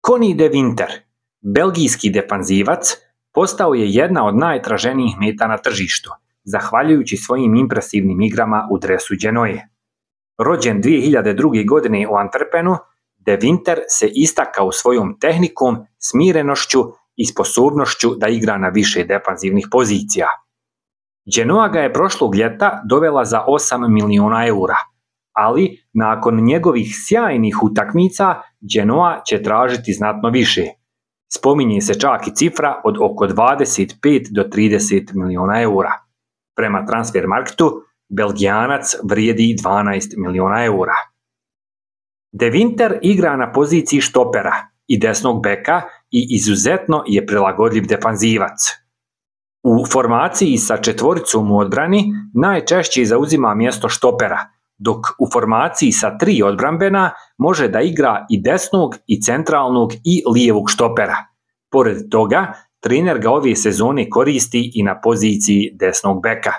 Conny de Winter, belgijski defanzivac, postao je jedna od najtraženijih meta na tržištu, zahvaljujući svojim impresivnim igrama u dresu Genoe. Rođen 2002. godine u Antwerpenu, de Winter se istakao svojom tehnikom, smirenošću i sposobnošću da igra na više defanzivnih pozicija. Genoa ga je prošlog ljeta dovela za 8 miliona eura, ali nakon njegovih sjajnih utakmica Genoa će tražiti znatno više. Spominje se čak i cifra od oko 25 do 30 miliona eura. Prema Transfermarktu, Belgijanac vrijedi 12 miliona eura. De Winter igra na poziciji štopera i desnog beka i izuzetno je prilagodljiv defanzivac. U formaciji sa četvoricom u odbrani najčešće zauzima mjesto štopera, dok u formaciji sa 3 odbrambena može da igra i desnog i centralnog i lijevog štopera. Pored toga, trener ga ove sezone koristi i na poziciji desnog beka.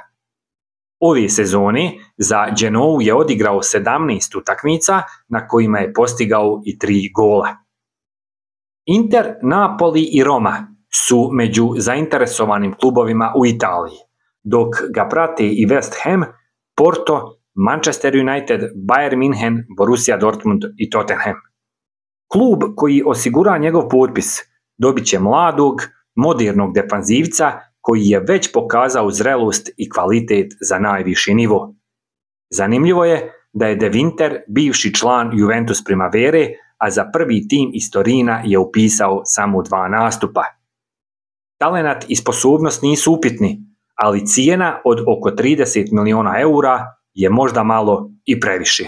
Ove sezone za Genou je odigrao 17 utakmica na kojima je postigao i 3 gola. Inter, Napoli i Roma su među zainteresovanim klubovima u Italiji, dok ga prate i West Ham, Porto, Manchester United, Bayern München, Borussia Dortmund i Tottenham. Klub koji osigura njegov potpis dobit će mladog, modernog defanzivca koji je već pokazao zrelost i kvalitet za najviši nivo. Zanimljivo je da je de Winter bivši član Juventus Primavere, a za prvi tim iz Torina je upisao samo 2 nastupa. Talenat i sposobnost nisu upitni, ali cijena od oko 30 miliona eura je možda malo i previše.